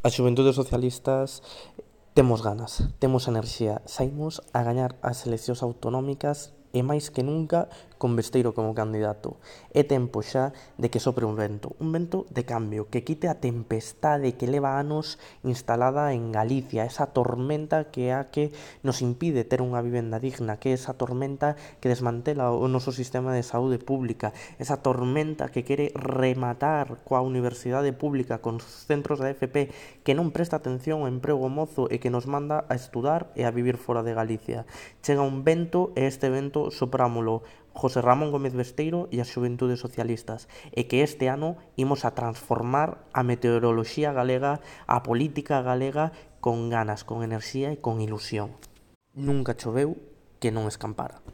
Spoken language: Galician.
As xuventudes socialistas temos ganas, temos enerxía, saímos a gañar as eleccións autonómicas e máis que nunca con Besteiro como candidato. É tempo xa de que sopre un vento de cambio, que quite a tempestade que leva anos instalada en Galicia, esa tormenta que é a que nos impide ter unha vivenda digna, que é esa tormenta que desmantela o noso sistema de saúde pública, esa tormenta que quere rematar coa universidade pública, con centros da FP, que non presta atención ao emprego mozo e que nos manda a estudar e a vivir fora de Galicia. Chega un vento e este vento soprámolo José Ramón Gómez Besteiro e as xuventudes socialistas, e que este ano imos a transformar a meteoroloxía galega, a política galega, con ganas, con enerxía e con ilusión. Nunca choveu que non escampara.